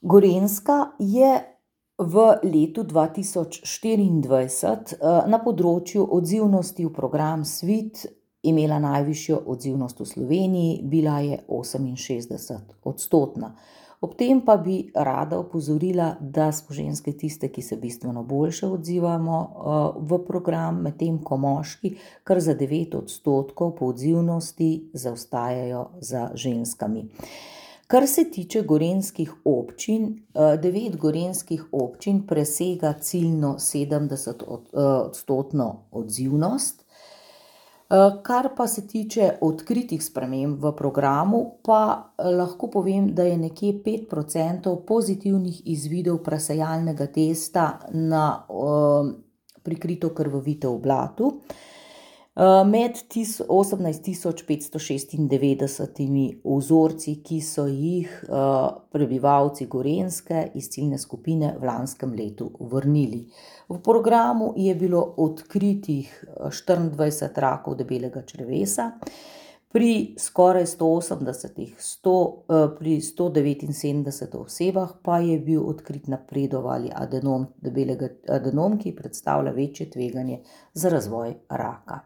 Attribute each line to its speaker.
Speaker 1: Gorenjska je v letu 2024 na področju odzivnosti v program Svit imela najvišjo odzivnost v Sloveniji, bila je 68-odstotna. Ob tem pa bi rada opozorila, da smo ženske tiste, ki se bistveno boljše odzivamo v program, medtem ko moški kar za 9% po odzivnosti zaostajajo za ženskami. Kar se tiče gorenjskih občin, 9 gorenjskih občin presega ciljno 70-odstotno odzivnost. Kar pa se tiče odkritih sprememb v programu, pa lahko povem, da je nekje 5% pozitivnih izvidov presejalnega testa na prikrito krvavitev v blatu. Med 18.596 vzorci, ki so jih prebivalci Gorenjske iz ciljne skupine v lanskem letu vrnili. V programu je bilo odkritih 24 rakov debelega črevesa, pri skoraj 179 osebah pa je bil odkrit napredovali adenom, ki predstavlja večje tveganje za razvoj raka.